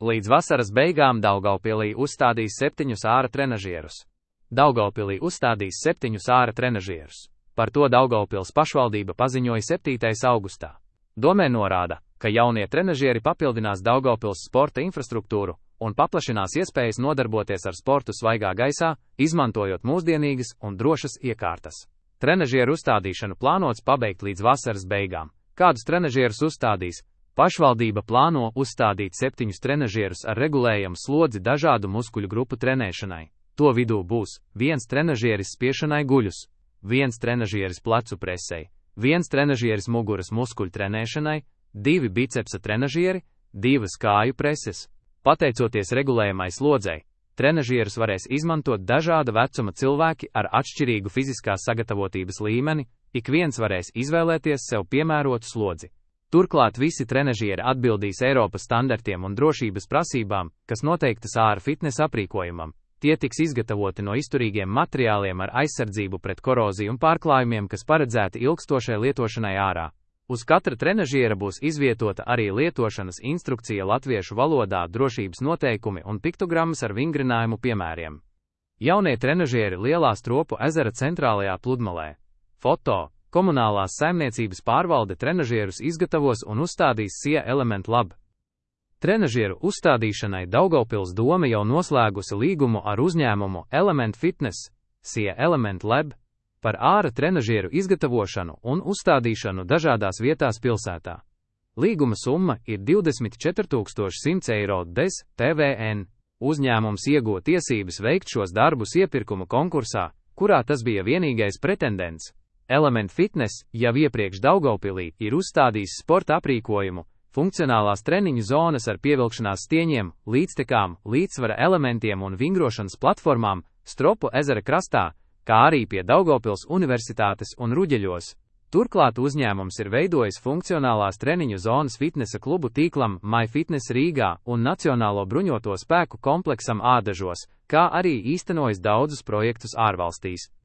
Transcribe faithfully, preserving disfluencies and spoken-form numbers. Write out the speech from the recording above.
Līdz vasaras beigām Daugavpilī uzstādīs septiņus āra trenažierus. Daugavpilī uzstādīs septiņus āra trenažierus. Par to Daugavpils pašvaldība paziņoja septītais augustā. Domē norāda, ka jaunie trenažieri papildinās Daugavpils sporta infrastruktūru un paplašinās iespējas nodarboties ar sportu svaigā gaisā, izmantojot mūsdienīgas un drošas iekārtas. Trenažieru uzstādīšanu plānots pabeigt līdz vasaras beigām. Kādus trenažierus uzstādīs? Pašvaldība plāno uzstādīt septiņus trenažierus ar regulējumu slodzi dažādu muskuļu grupu trenēšanai. To vidū būs viens trenažieris spiešanai guļus, viens trenažieris plecu presei, viens trenažieris muguras muskuļu trenēšanai, divi bicepsa trenažieri, divas kāju preses. Pateicoties regulējumai slodzei, trenažierus varēs izmantot dažāda vecuma cilvēki ar atšķirīgu fiziskās sagatavotības līmeni, ik viens varēs izvēlēties sev piemērotu slodzi. Turklāt visi trenažieri atbildīs Eiropas standartiem un drošības prasībām, kas noteiktas āra fitnesa aprīkojumam. Tie tiks izgatavoti no izturīgiem materiāliem ar aizsardzību pret koroziju un pārklājumiem, kas paredzēti ilgstošai lietošanai ārā. Uz katra trenažiera būs izvietota arī lietošanas instrukcija latviešu valodā, drošības noteikumi un piktogrammas ar vingrinājumu piemēriem. Jaunie trenažieri Lielā Stropu ezera centrālajā pludmalē. Foto. Komunālās saimniecības pārvalde trenažierus izgatavos un uzstādīs S I E Element Lab. Trenažieru uzstādīšanai Daugavpils doma jau noslēgusi līgumu ar uzņēmumu Element Fitness, S I E Element Lab, par āra trenažieru izgatavošanu un uzstādīšanu dažādās vietās pilsētā. Līguma summa ir divdesmit četri tūkstoši simts eiro bez P V N. Uzņēmums ieguva tiesības veikt šos darbus iepirkuma konkursā, kurā tas bija vienīgais pretendents. Element Fitness jau iepriekš Daugavpilī ir uzstādījis sporta aprīkojumu, funkcionālās treniņu zonas ar pievilkšanās stieņiem, līdztekām, līdzsvara elementiem un vingrošanas platformām Stropu ezera krastā, kā arī pie Daugavpils Universitātes un Ruģeļos. Turklāt uzņēmums ir veidojis funkcionālās treniņu zonas fitnesa klubu tīklam MyFitness Rīgā un Nacionālo bruņoto spēku kompleksam Ādažos, kā arī īstenojis daudzus projektus ārvalstīs.